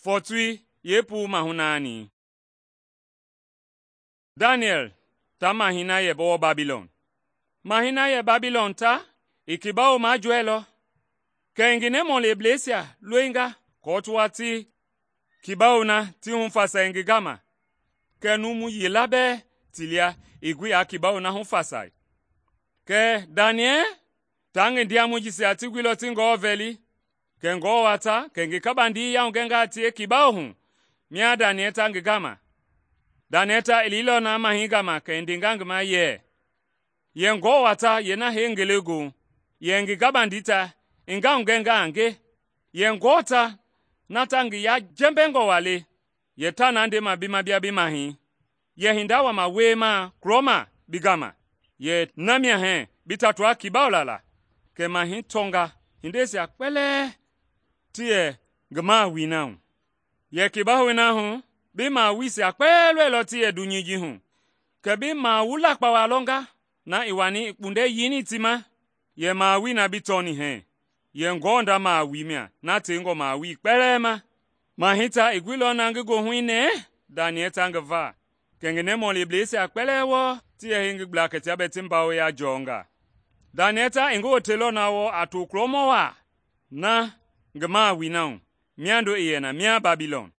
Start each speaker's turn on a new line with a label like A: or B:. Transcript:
A: Fɔtui yeepuu mahu naani. Daniɛl ta mahɛi na yɛ wɔɔ Babilɔn. Mahɛi na yɛ Babilɔn ta i kibawo majɔɛilɔ, kɛ i ngi nɛmɔlebleisia loinga aako ti wa ti kibawo na ti hufasai ngi gama. Kɛɛ numu yila bɛɛ ti lia ii gbi aa kibawo na hufasai. Kɛɛ Daniɛl taa ngi ndiamɔi jisia ti guilɔ ti Ngewɔ vɛli, kɛ Ngewɔ wa ta kɛ i ngi kabandii yahugɛnga a tie kibawo hu mia Daniɛl ta ngi gama. Daniɛl ta i liilɔ na mahɛi gama kɛ i ndenga ngi ma yɛ Ngewɔ wa ta yeena hee ngelegoohu, yɛ ngi kabandii ta i ngahugɛnga a nge, yɛ Ngewɔ ta na ta ngi yajɛmbɛngɔ waa le, yɛ taa na ndema bi ma bia bi mahɛi, yɛ hinda wama wiemaa kulɔma bi gama, yɛ na mia hɛɛ bi tatua kibawo la la. Kɛ mahɛi tɔnga hindeisia kpɛlɛɛ ti yɛ ngi mawui na hu. Yɛ kibaoi na hu, bi mawuisia kpɛlɛɛ lɔilɔ ti yɛ dunyei ji hu. Kɛ bi mawu lakpawa lɔnga na i wani i kpundɛ yeini ti ma, yɛ mawui na bi tɔni hɛɛ, yɛ Ngewɔ nda mawui mia na tengɔ mawui kpɛlɛɛ ma. Mahɛi ta i guilɔ na ngi goohui nɛɛ Daniɛl ta ngi va, kɛ ngi nɛmɔlebleisia kpɛlɛɛ wɔɔ ti yɛ hei ngi gbla kɛ tia bɛɛ ti mbawoya jɔnga. Daniɛl ta i ngi woteilɔ na wɔɔ a to kulɔmɔ waa na ngi mawui na hu, miando i yɛ na mia Babilɔn.